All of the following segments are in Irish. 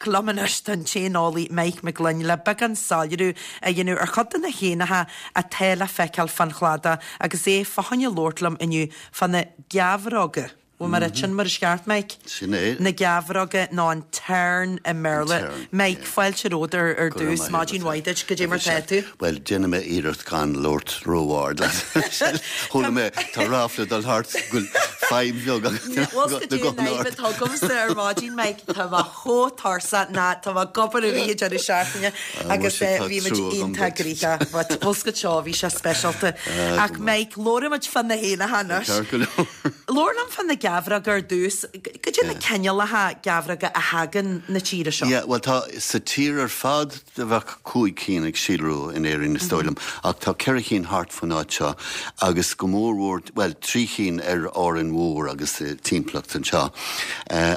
Liom anois tá an t-éaneolaí Mike Mac Gloinn le beagán soiléiriú a dhéanamh ar chuid de na héanacha atá le feiceáil fán chladach agus é fá choinne labhairt liom inniu fá na geabhróga. Bhfuil mé ag ráit sin mar is ceart, Mike? Sin é. Na geabhróga nó an tern i mBéarla. An tern, Mike, yeah. fáilte romhat ar ar Go raibh dtús. maith Maidin agat. mhaith duit. Goidé mar tá tú? Bhuel, déanfaidh mé iarracht gan labhairt ró-ard leat. Chuala mé, tá ráfla ag dul thart go bhfuil fadhb bheag agat Bhfuil 's goidé an fhadhb atá agamsa ar maidin, Mike, tá mé chomh tuirseach ná tá mé ag obair i rith an deireadh seachtaine agus bhí muid iontach gnoitheach but bhfuil 's agat seo, bhí sé speisialta. Ach Mike, labhróidh muid fá na héanacha anois. Ceart go leor. Labhair liom fá na geabhróga ar dtús. Goidé na cineálacha geabhróga a thagann na tíre seo? Yeah, bhuel tá, sa tír ar fad, Bheadh 5 cinn ag síolrú in Éirinn is dóigh liom, ach tá 4 chinn thart faoin áit seo agus go mór mhór, bhuel, 3 chinn ar Árainn Mhór agus timpeallacht anseo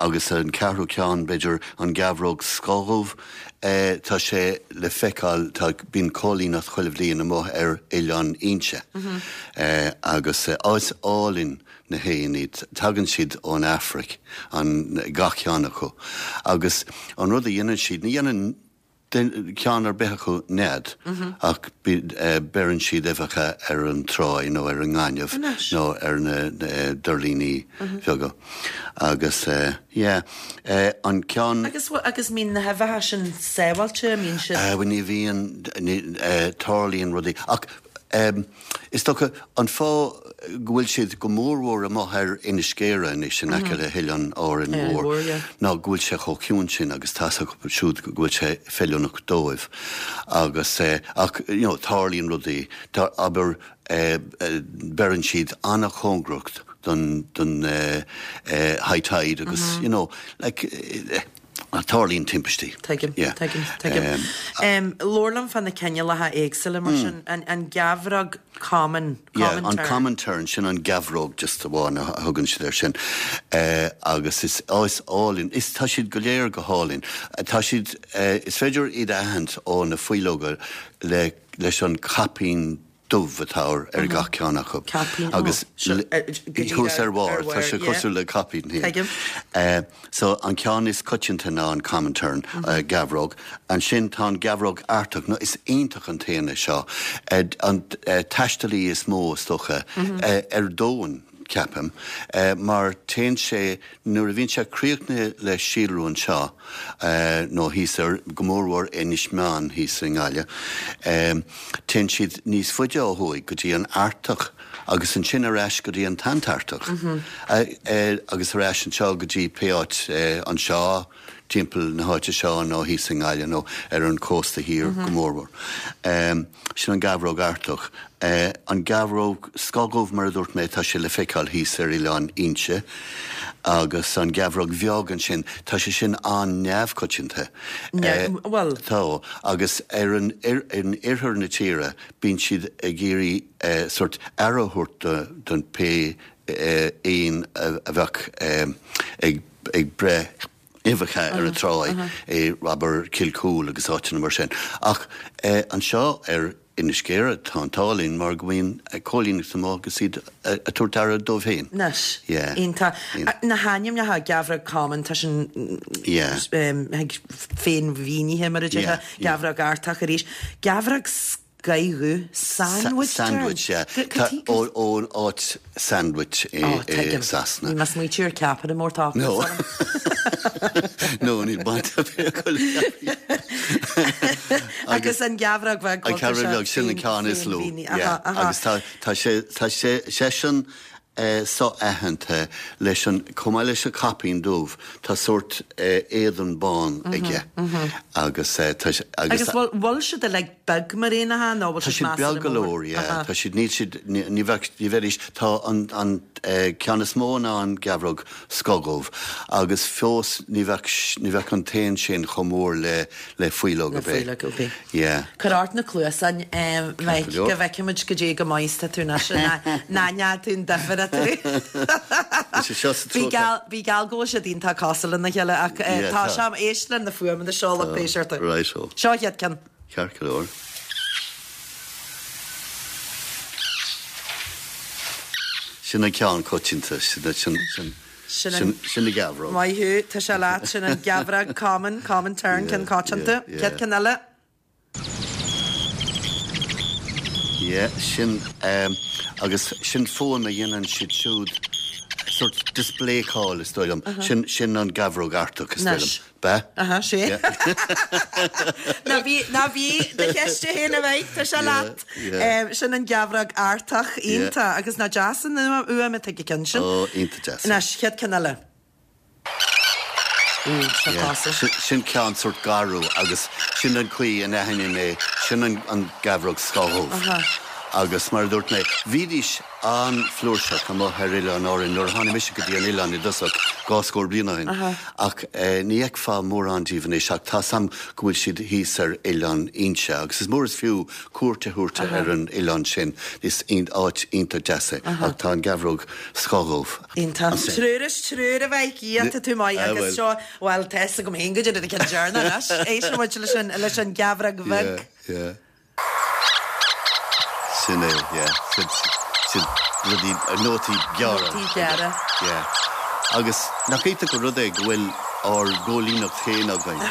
agus an ceathrú ceann, b'fhéidir, an gheabhróg scothdhubh, tá sé le feiceáil, tá, bíonn cóilíneacht chuile bhliain amuigh ar Oileán Fhínse agus áit álainn na héin iad. Tagann siad ón Afraic, an, gach ceann acu. Agus an rud a dhéanann siad, ní dhéanann ceann ar bith acu nead, ach beireann siad uibheacha ar an tráigh nó ar an ngaineamh nó ar na doirlíní beaga. Agus yeah, an ceann. Agus, agus mbíonn na huibheacha sin sábháilte, mbíonn siad. Bhuel ní bhíonn, tarlaíonn rudaí. Ach Is dócha, an fáth go bhfuil siad go mórmhór amuigh ar Inis Géara anois in aice le hOileán Árainn Mhór ná go bhfuil sé chomh ciúin sin agus tá's acu siúd go bhfuil sé feiliúnach dóibh. Agus, ach, you know, tarlaíonn rudaí, tá, abair, beireann siad an-chóngarach don, don high tide agus, you know, like, Tarlaíonn timpistí. Tuigim, tuigim, tuigim. Labhair liom fá na cineálacha éagsúla mar sin, an gheabhróg common, common tern. An common tern, sin an gheabhróg just amháin a thugann siad air sin. Agus is, ó is álainn, is, tá siad go léir go hálainn. Tá siad, is féidir iad a aithint ó na faoileoga le, leis an caipín dubh atá ar gach ceann acu. Caipín, ó. Agus thuas ar bharr, tá sé cosúil le caipín. Tuigim. So an ceann is coitianta ná an common tern, geabhróg. Ansin tá an gheabhróg Artach, nó is iontach an t-éan é seo. An taistealaí is mó, is dócha, ar domhan, ceapaim, mar téann sé, nuair a bhíonn sé críochnaithe le síolrú anseo, nó thíos ar, go mórmhór Inis Meáin thíos i nGaillimh, téann siad níos faide ó thuaidh go dtí an Artach agus ansin ar ais go dtí an tAntartach agus ar ais anseo go dtí pé áit anseo, timpeall na háite seo nó thíos i nGaillimh nó ar an chósta thiar go mórmhór. Sin an gheabhróg Artach. An gheabhróg scothdhubh, mar a dúirt mé, tá sé le feiceáil thíos ar Oileán Fhínse. Agus an gheabhróg bheag ansin, tá sé sin an-neamhchoitianta. Bhuel. Tá. Agus ar an, in oirthear na tíre, bíonn siad ag iarraidh sórt aire a thabhairt don pé éin a bheadh ag ag breith uibheacha ar an tráigh i, abair, Cill Cúil agus áiteanna mar sin. Ach anseo ar Inis Géara tá an t-ádh linn mar go mbíonn cóilíneacht amuigh agus iad ag tabhairt aire dóibh féin. Anois. Yeah. Iontach. Na hainmneacha, geabhróg common, tá sin Yeah. féinmhínithe mar a déarfá, Yeah, yeah. geabhróg Artach arís. Geabhróg Scothdhubh, Sandwich tern. Sandwich, yeah. Tá ón áit Sandwich i Sasana. Ní mé smaoitiú ar ceapaire mór tá No. No, níl baint ar bith acu le ceapaire. Agus an gheabhróg bheag, An gheabhróg bheag, sin an ceann is lú. Yeah. Agus tá tá sé tá sé seisean so-aitheanta leis an, chomh maith leis an caipín dubh, tá sórt éadan bán aige agus tá sé, agus. Agus bhfuil, bhfuil siad uilig beag mar éanacha nó bhfuil Tá siad siad measartha beag go mór? leor, yeah. Tá siad, níl siad, ní bheadh, ní bheidís, tá an, an ceann is mó ná an gheabhróg scothdhubh agus fós ní bheadh, ní bheadh an t-éan sin chomh mór le, le faoileog Le ar bith. faoileog ar bith. Yeah. Cuir ort na cluasáin, Mike, go leor. go bhfeicfimid goidé chomh maith is tá tú anois, ná ná tú an difear eatarthu. Is é seo sa Bí treo geall, bí geall go bhfuil siad iontach cosúil lena chéile ach Yeah, tá tá. sé, éist le na fuaimeanna seo lucht Tá. éisteachta. Right ho. Seo an chéad ceann. Ceart go leor. Sin an ceann coitianta, sin, sin, sin. Sin an. Sin an gheabhróg. Maith thú, tá sé leat, sin an gheabhróg common, common tern, ceann coitianta. Chéad ceann eile. Yeah, sin, agus sin fuaim a dhéanann siad siúd, sort display call is dóigh liom. Sin, sin an gheabhróg Artach is dóigh liom. B'ea? Aha, sé. Ná bí, ná bí do cheist féin a Mhaidhc, tá sé leat. Sin an gheabhróg Artach, iontach, agus nach deas an fhuaim atá ag an ceann sin. Ó, iontach deas. Anois, chéad ceann eile. Sin ceann sórt garbh agus sin an chaoi a n-aithním é, sin an gheabhróg scáthdhubh. Agus mar a dúirt mé, bhídís an-fhlúirseach amuigh ar Oileáin Árann nuair a tháinig mise go dtí an oileán i dtosach, 20 bliain ó shin, ach ní fheicfeá mórán díobh anois ach tá's a'm go bhfuil siad thíos ar Oileán Fhínse agus is mór is fiú cuairt a thabhairt ar an oileán sin, is áit iontach deas é ach tá an gheabhróg scáthdhubh. Iontach. Triúr as triúr a Mhaidhc, Dhia, tá tú maith agus seo, bhuel, tá fhios agam féin goidé an ceann deireanach anois. Éistfidh muid leis an, leis an gheabhróg bheag. Yeah, yeah. Sin é, yeah. Sin, sin rudaí, nótaí gearra. Nótaí gearra. Yeah. Agus nach iontach an rud é go bhfuil ár gcóilíneacht féin againn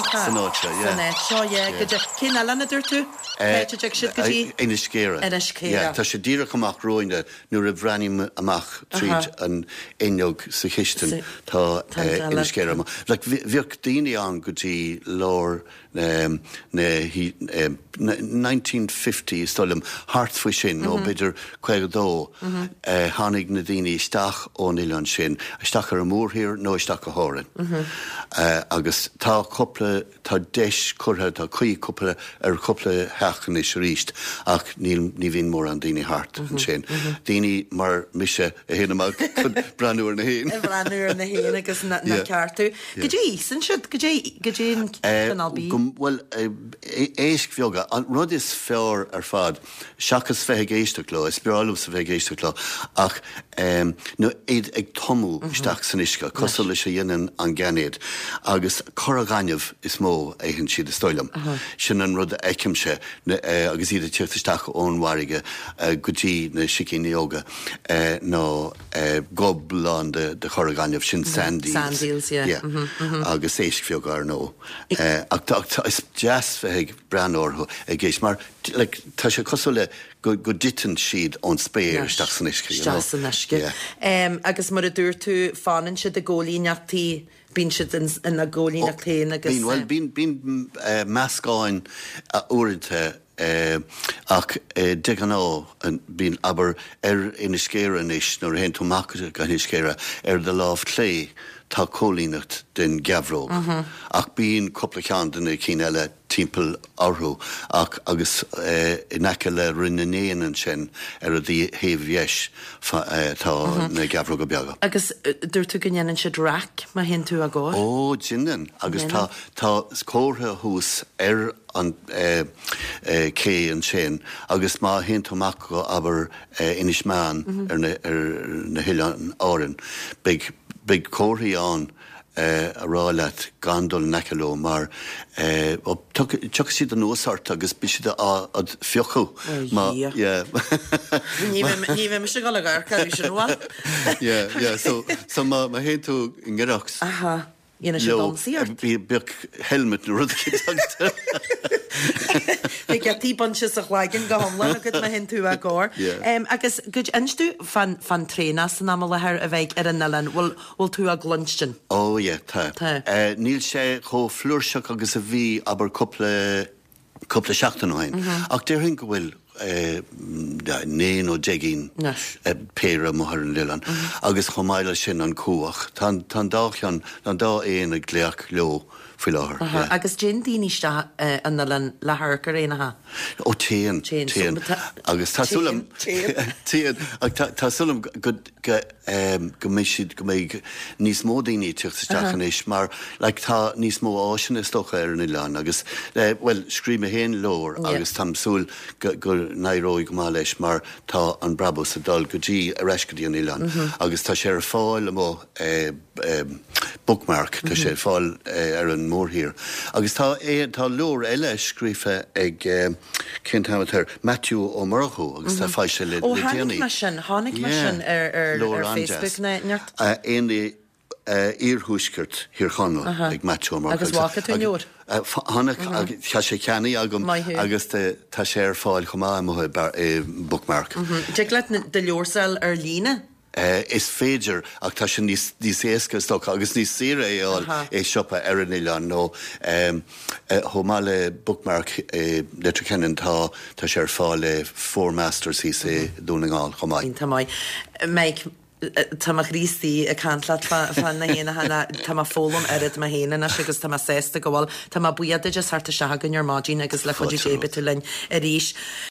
san áit seo, yeah. San áit seo, yeah. Goidé, cén oileán a dúirt tú? Cá háit a dtig siad go dtí? Inis Céire. Inis Céire. Yeah, tá sé díreach amach romhainne. Nuair a bhreathnaím amach tríd an fhuinneog sa chistin tá Inis Céire amach. Like bhíodh daoine ann go dtí lár na 1950 is dóigh liom, thart faoi sin nó b'fhéidir 52, tháinig na daoine isteach ón oileán sin, isteach ar an mórthír nó isteach go hÁrainn. Agus tá cúpla Tá deis curtha, tá caoi cúpla, ar chúpla theach anois arís ach níl, ní bhíonn mórán daoine thart ansin. Daoine mar mise a théann amach chun breathnú ar na héin. Ag breathnú ar na héin agus na ceartú. Goidé a íosann siad? Goidé, goidé an cineál bídh? Bhuel, éisc bheaga. An rud is fearr ar fad, seachas bheith ag éisteacht leo, is breá liomsa bheith ag éisteacht leo, ach ná iad ag tumadh isteach san uisce, cosúil leis a dhéanann an gainéad, agus corra ghainimh is mó a itheann siad, is dóigh liom. Sin an rud a fheicimse agus iad ag tíocht isteach ón bhfarraige go dtí na sicíní óga, ná gob lán de chorra ghainimh, sin sand eels. Sand eels, yeah. Agus éisc bheaga, ar ndóigh. Ach is deas bheith ag breathnú orthu ag éist, mar like tá sé cosúil le go go dtiteann siad ón spéir isteach san uisce, you know. Isteach san uisce. Yeah. Em agus mar a dúirt tú fanann siad i gcóilíneachtaí, bíonn siad in ina gcóilíneacht féin agus. Bíonn, bhuel bíonn bíonn eh meascáin uaireanta eh ach eh de ghnáth bíonn abair ar Inis Céire anois nuair a théann tú amach go hInis Céire ar do lámh chlé tá cóilíneacht den gheabhróg ach bíonn cúpla ceann de na cinn eile timpeall orthu ach agus in aice le Rinn na nÉan ansin ar a thaobh dheis tá na geabhróga beaga. Agus dúirt tú go ndéanann siad raic má théann tú á gcomhair? Ó, déanann agus tá tá comhartha thuas ar an cé ansin agus má théann tú amach go abair Inis Meáin ar na ar na hOileáin Árann beidh beidh comharthaí ann a rá leat gan dul in aice leo mar tiocfaidh siad anuas ort agus beidh siad a'd phiocadh má yeah. Ní bheidh mise ag dul ag amharc orthu sin bhuel. Yeah yeah so so má má théann tú i ngiorracht Aha dhéanfaidh siad ionsaí ort. Bheadh helmet nó rud éicint agat. Beidh giotaí bainte as do chloigeann go hiomlán agat má théann tú á gcomhair. Yeah. Agus goid inis domh fán fán traonach san am i láthair a bheidh ar an oileán bhfuil Bhfuil tú á gcluinstin? Ó yeah, tá. Tá. Níl sé chomh flúirseach agus a bhí, abair, cúpla, cúpla seachtain ó shin. Ach déarfainn go bhfuil 9 nó 10 péire amuigh ar an oileán. Agus chomh maith leis sin an cuach. Tá an, tá an dá cheann, tá an dá éan ag glaoch leo faoi láthair. Yeah. Agus dtéann daoine isteach an oileán le hamharc ar éanacha? Ó téann, téann. Agus tá súil agam, téann, ach tá súil agam go, go, go mbeidh siad, go mbeidh níos mó daoine ag tíocht isteach anois mar like tá níos mó áiseanna is dócha ar an oileán agus bhuel scríobh mé féin leabhar agus táim ag súil go, go n-éireoidh go maith leis mar tá an brabús ag dul go dtí, ar ais go dtí an oileán agus tá sé ar fáil amuigh Bookmark, tá sé ar fáil ar an mórthír agus tá, tá leabhar eile scríofa ag. Cén t-ainm atá air? Maitiú Ó Murchú agus tá foilsithe le déanaí. Ó chonaic mé sin, chonaic mé sin ar Facebook ná neart. Éanlaith Iarthuaisceart Thír Chonaill ag Maitiú Ó Murchú. Agus bhfaca tú an leabhar? Chonaic, tá sé ceannaithe agam agus tá sé ar fáil chomh maith amuigh i Bookmark. Dtig leat do leabhar a fháil ar líne? Is féidir, ach tá sé níos éasca is dócha agus níos saoire é a fháil i siopa ar an oileán nó chomh maith le Bookmark i Leitir Ceanainn tá tá sé ar fáil i Four Masters thíos i Dún na nGall chomh maith. Iontach maith. Mike, tá mo chroí istigh ag caint leat fá na héanacha, tá mé ag foghlaim oiread mé féin anois agus tá mé sásta go bhfuil. Tá mé buíoch duit as theacht isteach chugainn ar maidin agus le cuidiú Dé beidh tú linn arís.